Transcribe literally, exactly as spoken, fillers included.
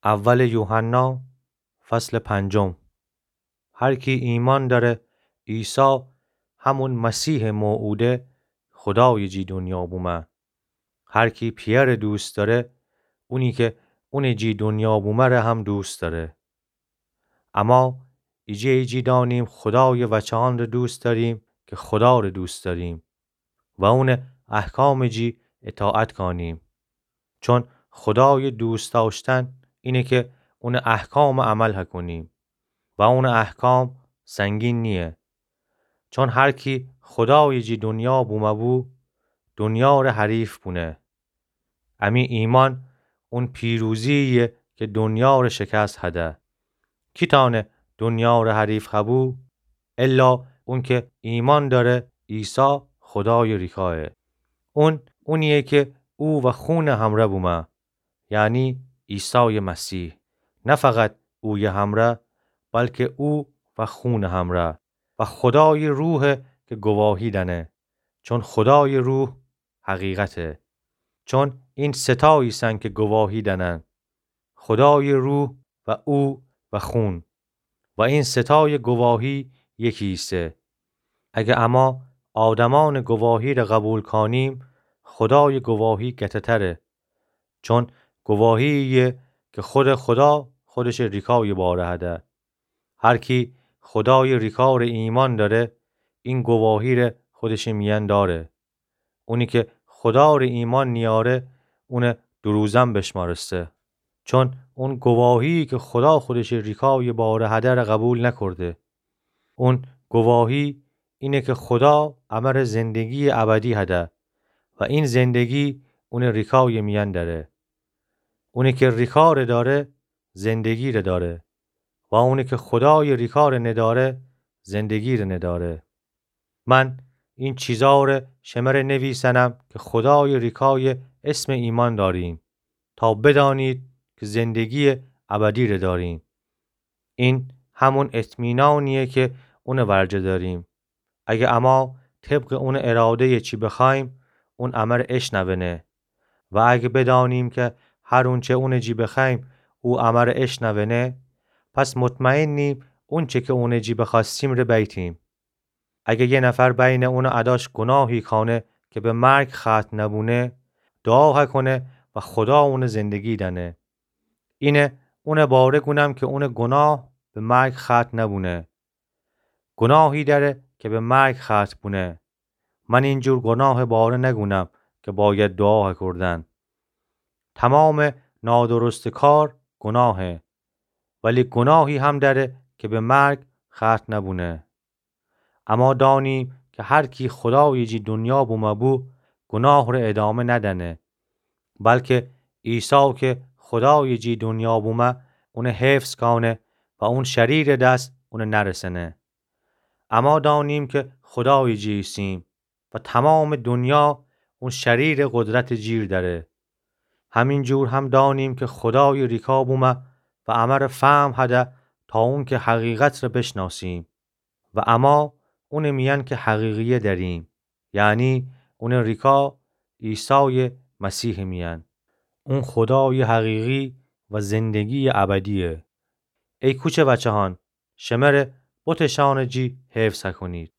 اول یوحنا، فصل پنجم. هر کی ایمأن دأره عیسی همون مسیحٚ موعوده، خودایٚ جی دونیا بومه. هر کی پیأرٚ دوست دأره، اونی کی اونٚ جی دونیا بومه ره هم دوست دأره. اما ایجه ایجی دأنیم خودایٚ وچه‌یأنٚ دوست دأریم کی خودارٚ دوست دأریم و اونٚ احکامٚ جی اطاعت کأنیم. چون خودایٚ دوست دأشتن اینه کی اونٚ احکامٚ عمل هکونیم و اونٚ احکام سنگین نییه. چون هر کی خودایٚ جی دونیا بومه بو، دونیا ره حریف بونه. امی ایمأن اون پیروزی‌یه کی دونیا ره شکست هده. کی تأنه دونیا ره حریف هبو؟ الا اون کی ایمأن دأره عیسی خودایٚ ریکایه. اون اونییه کی او و خونٚ همره بومه، یعنی عیسایٚ مسیح. نه فقط اویه همره، بلکی او و خونٚ همره و خودایٚ روحه کی گواهی دأنه. چون خودایٚ روح حقیقته. چون این سه تا ایسن کی گواهی دأنن، خودایٚ روح و او و خون. و این سه تایٚ گواهی یکی ایسه. اگه اما آدمأنٚ گواهی ره قبول کأنیم، خودایٚ گواهی گته‌تره. چون گواهی‌یه کی خودٚ خودا خودشٚ ریکایٚ باره هده. هر کی خودایٚ ریکا ره ایمأن دأره، این گواهی ره خودشٚ میأن دأره. اونی کی خودا ره ایمأن نیأره، اون دروزن بشمأرسته. چون اون گواهی‌یی کی خودا خودشٚ ریکایٚ باره هده ره قبول نکرده. اون گواهی اینه کی خودا امه ره زندگی‌یٚ ابدی هده و این زندگی اونٚ ریکایٚ میأن دأره. اونی کی ریکا ره دأره، زندگی ره دأره و اونی کی خودایٚ ریکا ره ندأره، زندگی ره ندأره. من این چیزا ره شمه ره نویسنم کی خودایٚ ریکایٚ اسم ایمأن دأریم، تا بدأنید کی زندگی‌یٚ ابدی ره دأریم. این همون اطمینانییه کی اونٚ ورجه دأریم. اگه اما طبقٚ اونٚ اراده‌یٚ چی بخوأییم، اون امه ره اشنونه. و اگه بدأنیم کی هر اونچه اونٚ جی بخوأییم، او امه ره اشنونه، پس مطمئنیم اونچه کی اونٚ جی بخوأستیم ره بیتیم. اگه یه نفر بینٚ اونٚ اداش گوناهی کأنه کی به مرگ ختم نبونه، دوعا هکونه و خودا اون زندگی دأنه. اینه اونٚ باره گونم کی اونٚ گوناه به مرگ ختم نبونه. گوناهی دأره کی به مرگ ختم بونه. من اینجور گوناهٚ باره نگونم کی باید دوعا هکردن. تمامٚ نادرستٚ کار گوناهه، ولی گوناهی هم دأره کی به مرگ ختم نبونه. اما دأنیم کی هر کی خودایٚ جی دونیا بومه بو، گوناه ره ادامه ندأنه، بلکی عیسی کی خودایٚ جی دونیا بومه، اون حفظ کأنه و اون شریرٚ دس اون نرسأنه. اما دأنیم کی خودایٚ جی ایسیم و تمامٚ دونیا اون شریرٚ قدرتٚ جیر دأره. همین جور هم دأنیم کی خودایٚ ریکا بومه و امه ره فهم هده تا اون کی حقیقت ره بشناسیم و اما اونٚ میأن کی حقیقیه دأریم، یعنی اونٚ ریکا عیسایٚ مسیحٚ میأن. اون خودایٚ حقیقی و زندگییٚ ابدییه. ای کوچه وچه‌هان، شمه ره بتٚ شأنٚ جی حفظ هکونید.